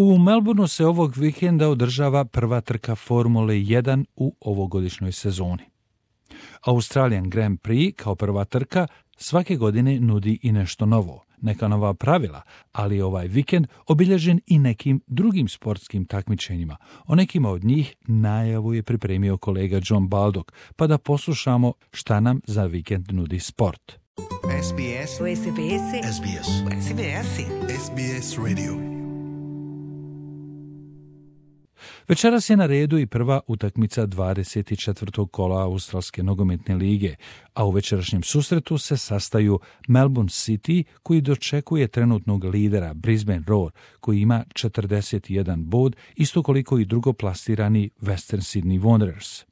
U Melbourneu se ovog vikenda održava prva trka Formule 1 u ovogodišnjoj sezoni. Australian Grand Prix kao prva trka svake godine nudi i nešto novo, neka nova pravila, ali ovaj vikend obilježen i nekim drugim sportskim takmičenjima. O nekima od njih najavu je pripremio kolega John Baldock, pa da poslušamo šta nam za vikend nudi sport. SBS SBS SBS SBS SBS Radio. Večeras je na redu i prva utakmica 24. kola Australske nogometne lige, a u večerašnjem susretu se sastaju Melbourne City, koji dočekuje trenutnog lidera Brisbane Roar, koji ima 41 bod, isto koliko i drugoplasirani Western Sydney Wanderers.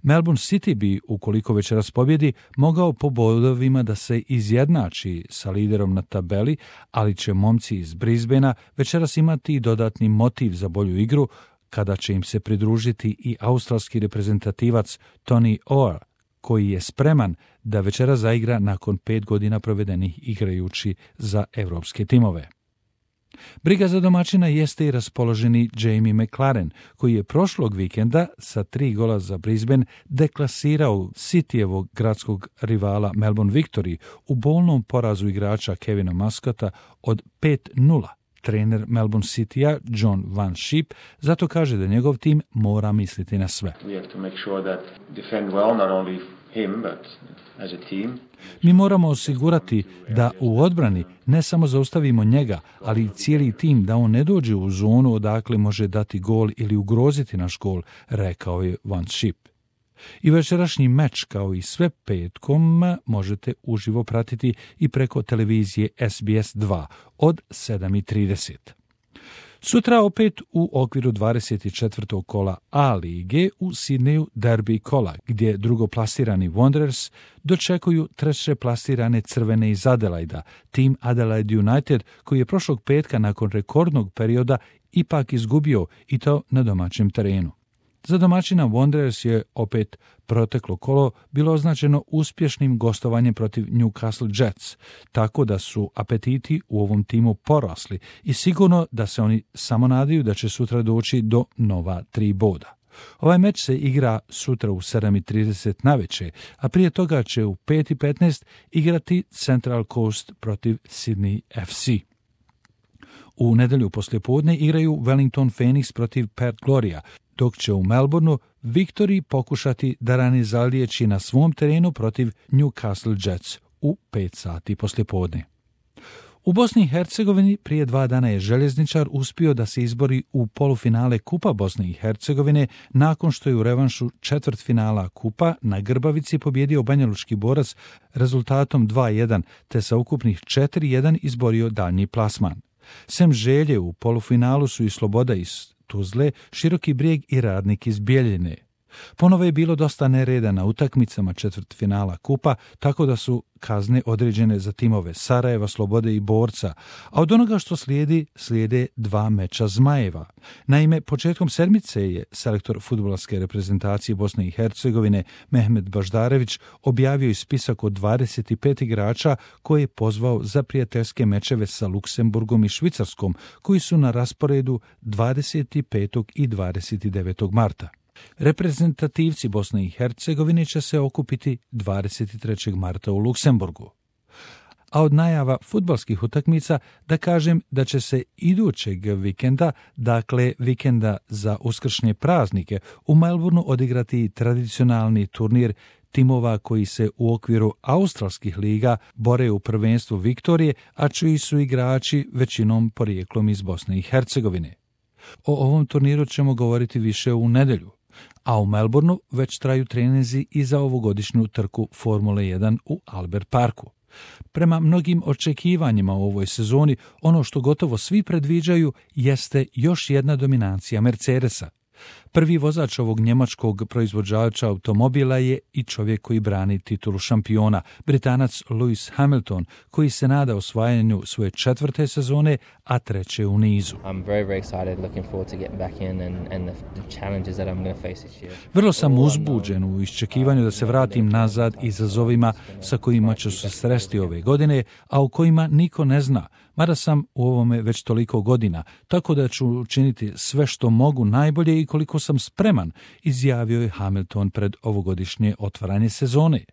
Melbourne City bi, ukoliko večeras pobjedi, mogao po bodovima da se izjednači sa liderom na tabeli, ali će momci iz Brisbanea večeras imati dodatni motiv za bolju igru, kada će im se pridružiti i australski reprezentativac Tony Orr, koji je spreman da večera zaigra nakon 5 godina provedenih igrajući za evropske timove. Briga za domaćina jeste i raspoloženi Jamie McLaren, koji je prošlog vikenda sa 3 gola za Brisbane deklasirao Cityjevog gradskog rivala Melbourne Victory u bolnom porazu igrača Kevina Muscata od 5-0. Trener Melbourne Citya John Van Schip zato kaže da njegov tim mora misliti na sve. Mi moramo osigurati da u odbrani ne samo zaustavimo njega, ali i cijeli tim, da on ne dođe u zonu odakle može dati gol ili ugroziti naš gol, rekao je Van Schip. I večerašnji meč, kao i sve petkom, možete uživo pratiti i preko televizije SBS 2 od 7:30. Sutra opet u okviru 24. kola A lige u Sidneju derbi kola, gdje drugoplasirani Wanderers dočekuju treće plasirane crvene iz Adelaida, tim Adelaide United, koji je prošlog petka nakon rekordnog perioda ipak izgubio, i to na domaćem terenu. Za domaćina Wanderers je opet proteklo kolo bilo označeno uspješnim gostovanjem protiv Newcastle Jets, tako da su apetiti u ovom timu porasli i sigurno da se oni samo nadaju da će sutra doći do nova 3 boda. Ovaj meč se igra sutra u 7:30 navečer, a prije toga će u 5:15 igrati Central Coast protiv Sydney FC. U nedjelju poslijepodne igraju Wellington Phoenix protiv Perth Gloria, dok će u Melbourneu Victory pokušati da rani zaliječi na svom terenu protiv Newcastle Jets u 5 sati poslijepodne. U Bosni i Hercegovini prije 2 dana je Željezničar uspio da se izbori u polufinale Kupa Bosne i Hercegovine nakon što je u revanšu četvrtfinala Kupa na Grbavici pobjedio Banjalučki Borac rezultatom 2:1, te sa ukupnih 4:1 izborio daljnji plasman. Sem Želje u polufinalu su i Sloboda iz Tuzle, Široki Brijeg i Radnik iz Bijeljine. Ponovo je bilo dosta nereda na utakmicama četvrtfinala Kupa, tako da su kazne određene za timove Sarajeva, Slobode i Borca, a od onoga što slijede 2 meča Zmajeva. Naime, početkom sedmice je selektor fudbalske reprezentacije Bosne i Hercegovine Mehmet Baždarević objavio i spisak od 25 igrača koje je pozvao za prijateljske mečeve sa Luksemburgom i Švicarskom, koji su na rasporedu 25. i 29. marta. Reprezentativci Bosne i Hercegovine će se okupiti 23. marta u Luksemburgu. A od najava fudbalskih utakmica da kažem da će se idućeg vikenda, dakle vikenda za uskršnje praznike, u Melbourneu odigrati tradicionalni turnir timova koji se u okviru australskih liga bore u prvenstvu Viktorije, a čiji su igrači većinom porijeklom iz Bosne i Hercegovine. O ovom turniru ćemo govoriti više u nedjelju, a u Melbourneu već traju treninzi i za ovogodišnju trku Formule 1 u Albert Parku. Prema mnogim očekivanjima u ovoj sezoni, ono što gotovo svi predviđaju jeste još jedna dominacija Mercedesa. Prvi vozač ovog njemačkog proizvođača automobila je i čovjek koji brani titulu šampiona, Britanac Lewis Hamilton, koji se nada osvajanju svoje 4. sezone, a 3. u nizu. Vrlo sam uzbuđen u iščekivanju da se vratim nazad izazovima sa kojima ću se sresti ove godine, a u kojima niko ne zna, mada sam u ovome već toliko godina, tako da ću učiniti sve što mogu najbolje i koliko sam spreman, izjavio je Hamilton pred ovogodišnje otvaranje sezone.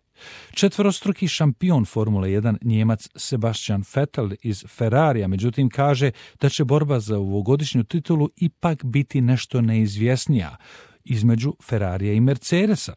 Četvorostruki šampion Formule 1 Njemac Sebastian Vettel iz Ferrarija, međutim, kaže da će borba za ovogodišnju titulu ipak biti nešto neizvjesnija između Ferrarija i Mercedesa.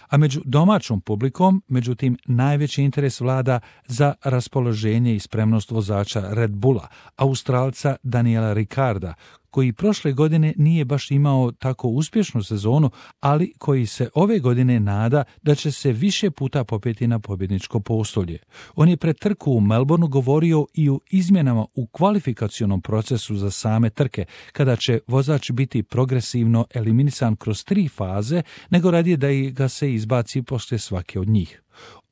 A među domaćom publikom, međutim, najveći interes vlada za raspoloženje i spremnost vozača Red Bulla, Australca Daniela Ricciarda, koji prošle godine nije baš imao tako uspješnu sezonu, ali koji se ove godine nada da će se više puta popeti na pobjedničko postolje. On je pred trku u Melbourneu govorio i o izmjenama u kvalifikacionom procesu za same trke, kada će vozač biti progresivno eliminisan kroz 3 faze, nego radije da ga se izbaci poslije svake od njih.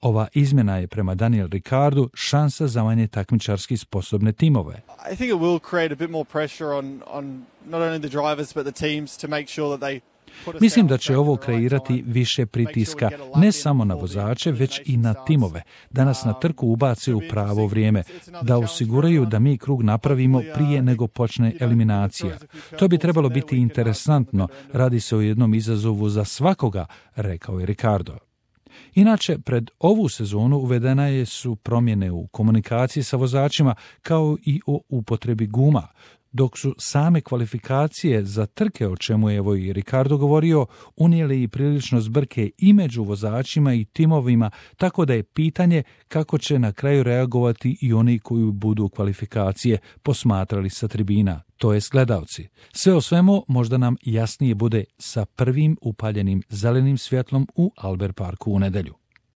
Ova izmjena je prema Daniel Ricciardu šansa za manje takmičarski sposobne timove. I think it will create a bit more pressure on not only the drivers but the teams to make sure that they. Mislim da će ovo kreirati više pritiska ne samo na vozače, već i na timove, da nas na trku ubace u pravo vrijeme, da osiguraju da mi krug napravimo prije nego počne eliminacija. To bi trebalo biti interesantno, radi se o jednom izazovu za svakoga, rekao je Ricciardo. Inače, pred ovu sezonu uvedene su promjene u komunikaciji sa vozačima kao i o upotrebi guma, dok su same kvalifikacije za trke, o čemu je evo i Ricciardo govorio, unijeli i prilično zbrke i među vozačima i timovima, tako da je pitanje kako će na kraju reagovati i oni koji budu kvalifikacije posmatrali sa tribina, to jest gledalci. Sve o svemu možda nam jasnije bude sa prvim upaljenim zelenim svjetlom u Albert Parku u nedjelju.